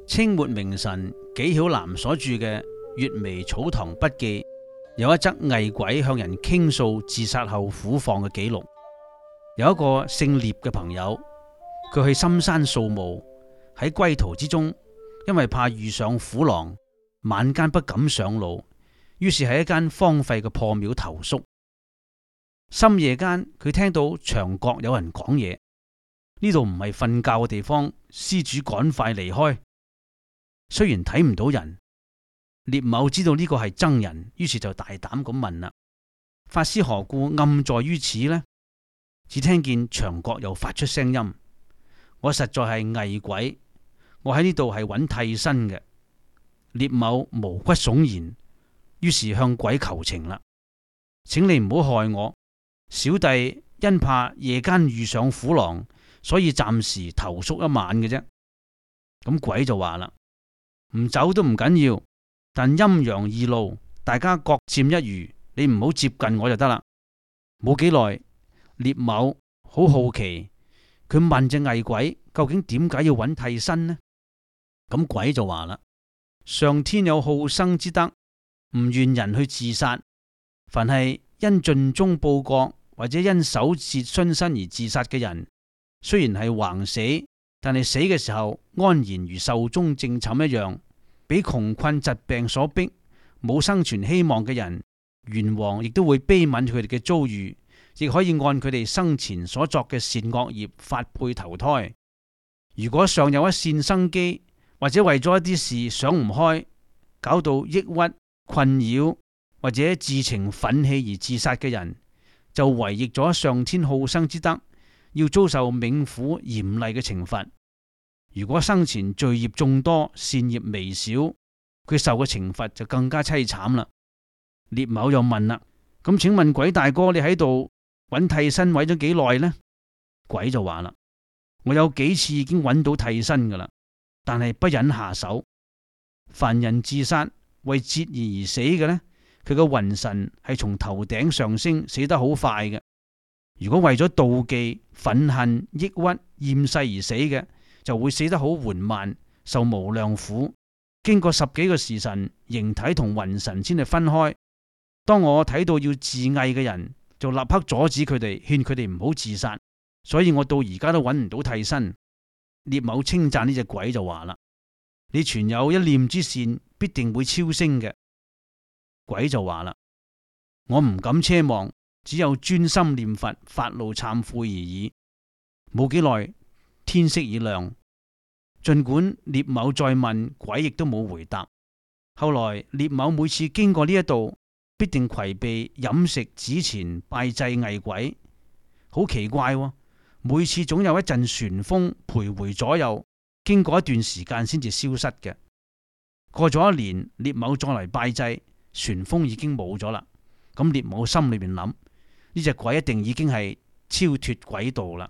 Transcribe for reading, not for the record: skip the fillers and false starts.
清末名臣紀曉嵐所著嘅《閱微草堂筆記》有一則厲鬼向人傾訴自殺後苦況嘅記錄。有一個姓聶嘅朋友，佢去深山掃墓，喺歸途之中，因為怕遇上虎狼，晚間不敢上路，於是喺一間荒廢嘅破廟投宿。深夜間，佢聽到牆角有人講嘢，呢度唔係瞓覺嘅地方，施主趕快離開。雖然睇唔到人，聶某知道呢個係僧人，於是就大膽咁問啦：法師何故暗在於此呢？只聽見牆角又發出聲音：我實在係厲鬼，我喺呢度係揾替身嘅。聶某毛骨悚然，於是向鬼求情啦：請你唔好害我，小弟因怕夜間遇上虎狼，所以暫時投宿一晚嘅啫。咁鬼就話啦：唔走都唔緊要，但陰陽二路，大家各佔一隅，你唔好接近我就得啦。冇幾耐，聶某好好奇，佢問隻厲鬼究竟點解要揾替身呢？咁鬼就話啦：上天有好生之德，唔願人去自殺。凡係因盡忠報國或者因守節殉身而自殺嘅人，雖然係橫死，但係死嘅時候安然如壽終正寢一樣。俾窮困疾病所逼，冇生存希望嘅人，閻王亦都會悲憫佢哋嘅遭遇，亦可以按佢哋生前所作嘅善惡業發配投胎。如果尚有一線生機，或者為咗一啲事想唔開，搞到抑鬱困擾，或者自情憤氣而自殺嘅人，就違逆咗上天好生之德，要遭受冥府嚴厲嘅懲罰。如果生前罪業眾多，善業微少，佢受嘅懲罰就更加淒慘啦。聶某又問啦：咁請問鬼大哥，你喺度揾替身揾咗幾耐呢？鬼就話啦：我有幾次已經揾到替身噶啦，但係不忍下手。凡人自殺為節義而死嘅呢，佢嘅魂神係從頭頂上升，死得好快嘅。如果為咗妒忌、憤恨、抑鬱、厭世而死嘅，就會死得好緩慢，受無量苦。經過10幾個時辰，形體同魂神先係分開。當我睇到要自縊嘅人，就立刻阻止佢哋，勸佢哋唔好自殺。所以我到而家都揾唔到替身。聶某稱讚呢隻鬼就話啦：你存有一念之善，必定會超升嘅。鬼就話啦：我唔敢奢望，只有專心念佛，發露懺悔而已。冇幾耐，天色已亮，盡管聶某再問，鬼亦都冇回答。後來聶某每次經過呢一度，必定攜備飲食紙錢拜祭厲鬼。好奇怪喎，每次總有一陣旋風徘徊左右，經過一段時間先至消失嘅。過咗1年，聶某再嚟拜祭，旋風已經冇咗啦。咁聶某心裏邊諗：呢隻鬼一定已經係超脫軌道啦。